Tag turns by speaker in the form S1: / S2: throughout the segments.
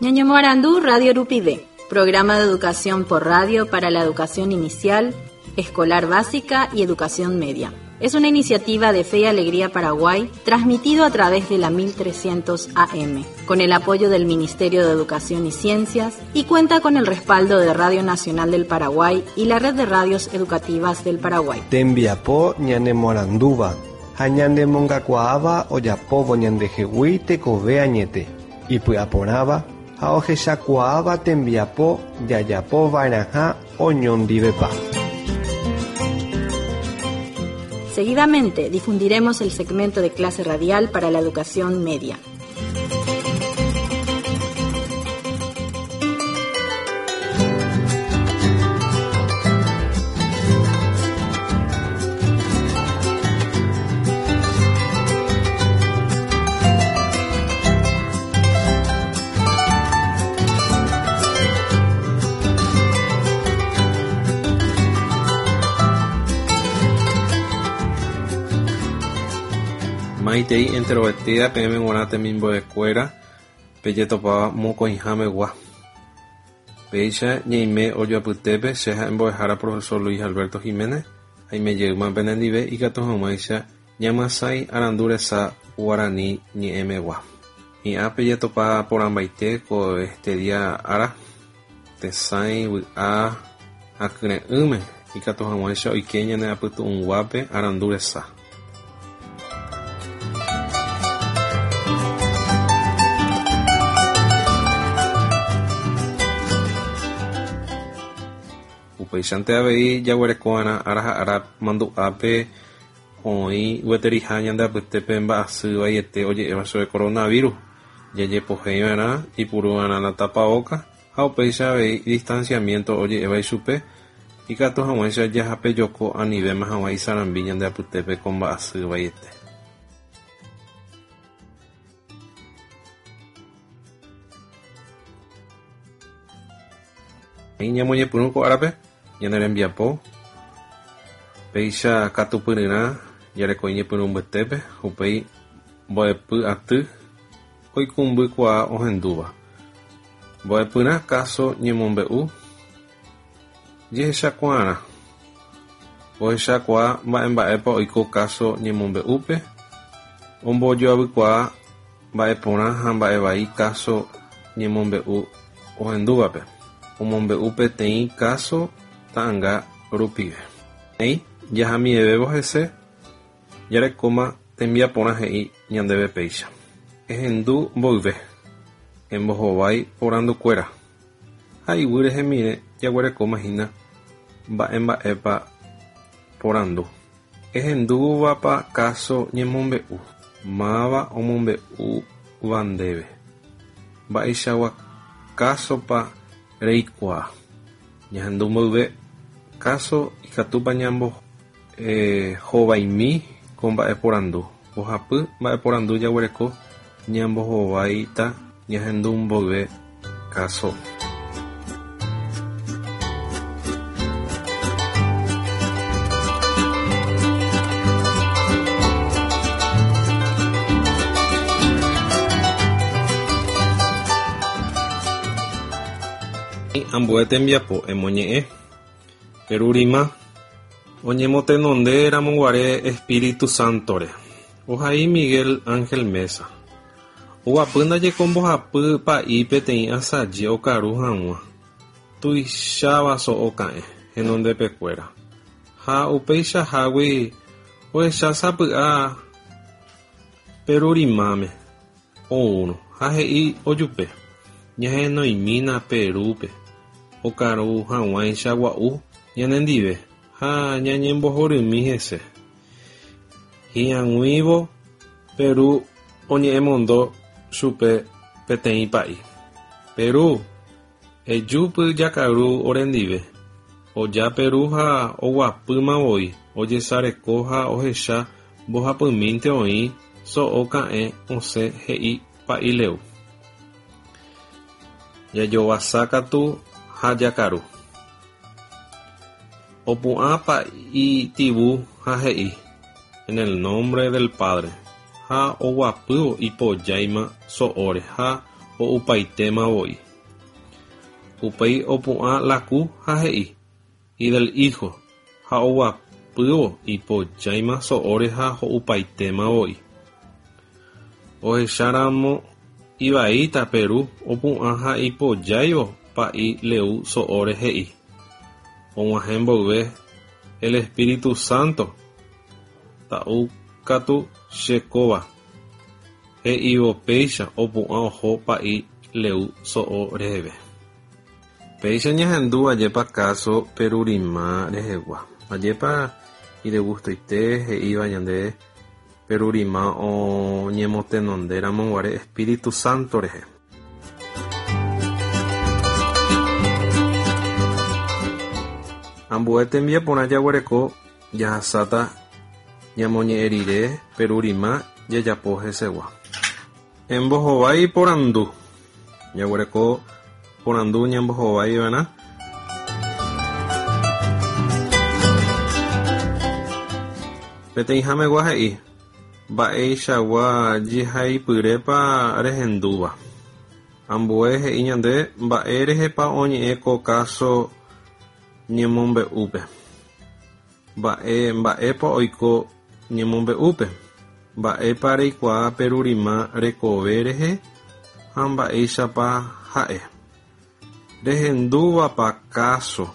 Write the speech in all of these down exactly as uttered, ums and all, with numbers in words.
S1: Ñañomoarandu Radio Rupive, programa de educación por radio para la educación inicial, escolar básica y educación media. Es una iniciativa de Fe y Alegría Paraguay, transmitido a través de la mil trescientos A M, con el apoyo del Ministerio de Educación y Ciencias, y cuenta con el respaldo de Radio Nacional del Paraguay y la Red de Radios Educativas del Paraguay.
S2: Tembiapo ñanemorandúva, ha ñanemongakuaáva ojapóvo ñandehegui tekove añete, ipy'aporãva ha ohechakuaáva tembiapo jajapova'erãha oñondivepa.
S1: Seguidamente difundiremos el segmento de clase radial para la educación media.
S3: Maitei enterovetía peẽme g̃uarã temimbo'ekuéra pejetopáva mokõihámegua. Péicha ñaime ojoapytépe che ha'e mbo'ehára profesor Luis Alberto Giménez aimejeýma penendive ikatu hag̃uáicha ñamyasãi arandu resa guarani ñe'ẽmegua. Hi'ã pejetopa porãmbaite ko este día ára tesãi vy'a akyre'ỹme ikatu hag̃uáicha oike ñane apytu'ũnguápe arandu resa. Upéichante avei jaguereko'arã ára ha ára mandu'ápe oĩ gueteriha ñande apytépe mba'asy vaiete oje'éva chupe coronavirus. Jajepohéiva'erã ipurúva'erã la tapaoka ha upéicha avei distanciamiento oje'éva ichupe ikatu hag̃uáicha jahapejoko anivéma hag̃ua isarambi ñande apytépe ko mba'asy vaiete. Ñamoñepyrũ ko árape ñane rembiapo péicha katupyryrã jareko iñepyrũ mbytépe upéi mbo'epy aty oikũmbykuaa ohendúva. Mbo'epyrã káso ñemombe'u jehechakuaarã. Ohechakuaa mba'emba'épa oiko káso ñemombe'úpe ombojoavykuaa mba'eporã ha mba'evai káso ñemombe'u ohendúvape. Omombe'u peteĩ káso ta'ãnga rupive. Néi jahamivévo hese jarekóma tembiaporã he'i ñandéve péicha. Ehendu mboyve, embohovái porandukuéra ha iguy rehemíre jaguerekóma hína mba'emba'épa porandu. Ehendúvapa káso ñemombe'u, máva omombe'úva ndéve, mba'eichagua kásopa reikuaa. Ñahendu mboyve káso ikatúpa ñambo, eh, hovaimi ko mba'eporandu. Mbohapy mba'eporandu jaguereko ñambohováita ñahendu mboyve káso. Ambue tembiapo emoñe'ẽ Perurima oñemotenonde ramoguare Espíritu Santore. Ohai Miguel Ángel Meza. Oguapy ndaje ko mbohapy pa'i peteĩ asaje okaru hag̃ua. Tuicháva so'o ka'ẽ henondepekuéra. Ha upeichahágui ohecha sapy'a Perurimáme oúrõ ha he'i ojupe. Ñahenoimína Perúpe okaru hag̃uáicha gua'u ñanendive ha ñañembohorymi hese. Hi'ag̃uívo Peru oñe'ẽmondo chupe peteĩ pa'i. Peru, ejúpy jakaru orendive. Oja Peru ha oguapýma voi, ojesareko ha ohecha mbohapymínte oĩ so'o ka'ẽ osẽ he'i pa'i leu. Jajovasa katu ha jakaru. Opu'ã pa'i tivu ha he'i en el nombre del Padre ha oguapývo ipojáima so'óre ha ho'upaitéma voi. Upéi opu'ã Laku ha he'i y del hijo ha oguapývo ipojáima so'óre ha ho'upaitéma voi. Ohecháramo ivaíta Peru opu'ã ha ipojáivo Pa'i Leu so'óre he'i. Og̃uahẽ mboyve el Espíritu Santo ta'úkatu che kóva. He'ívo péicha opu'ã oho Pa'i Leu so'o reheve. Péicha ñahendu ajépa káso Perurima rehegua. Ajépa idegustoite he'íva ñande Perurima oñemotenondéramoguare Espíritu Santo rehe. Ambue tembiaporã jaguereko jahasáta ñamoñe'ẽ rire Perurima jajapo hesegua. Embohovái porandu. Jaguereko porandu ñambohovaiva'erã. Peteĩhamegua he'i mba'eichagua jehaipyrépa rehendúva. Ambue he'i ñande mba'érehepa oñe'ẽ ko káso ñemombe'úpe. Mba'e mba'épa oiko ñemombe'úpe. Mba'épa reikuaa Perurima rekove rehe ha mba'éichapa ha'e. Rehendúvapa káso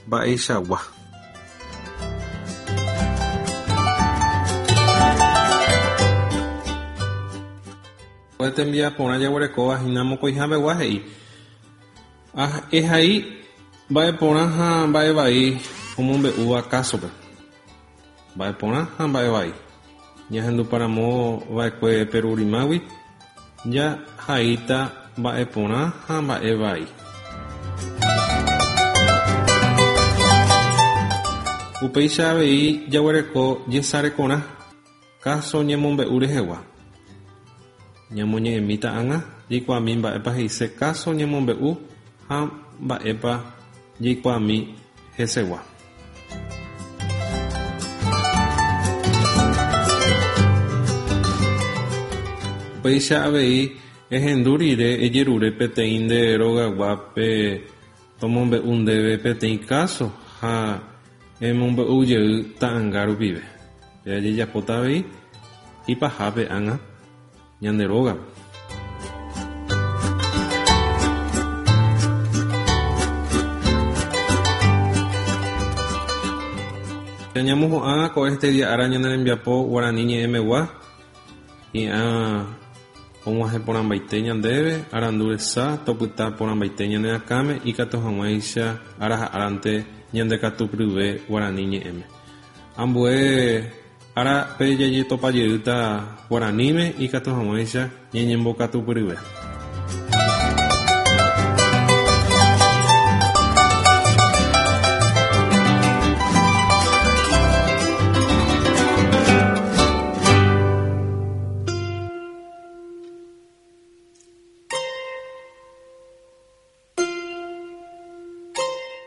S3: mba'eichagua. Tembiaporã jaguerekóva hína mokõihápegua he'i. Ehai mba'eporã ha mba'evai omombe'úva kásope. Mba'eporã ha mba'evai. Ñahenduparamo va'ekue Perurimágui jahaíta mba'eporã ha mba'evai. Upéicha avei jaguereko jesarekorã káso ñemombe'u rehegua. Ñamoñe'ẽmíta ág̃a jaikuaami mba'épa he'ise káso ñemombe'u ha mba'épa jaikuaami hesegua. Upéicha avei ehendu rire ejerure peteĩ nde rogaguápe tomombe'u ndéve peteĩ káso ha emombe'u jey ta'ãnga rupive. Jajejapóta avei ipahápe ág̃a ñande rógape. Ñamohu'ã ko este día ára ñane rembiapo guarani ñe'ẽmegua hi'ã og̃uahẽ porãmbaite ñandéve arandu resa topyta porãmbaite ñane akãme ikatu hag̃uáicha ára ha árante ñandekatupyryve guarani ñe'ẽme. Ambue árape jajetopajeýta guaraníme ikatu hag̃uáicha ñañembokatupyryve.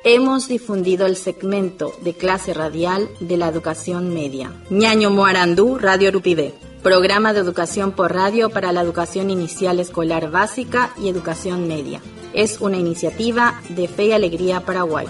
S1: Hemos difundido el segmento de clase radial de la educación media. Ñaño Moarandú, Radio Rupivé. Programa de educación por radio para la educación inicial escolar básica y educación media. Es una iniciativa de Fe y Alegría Paraguay.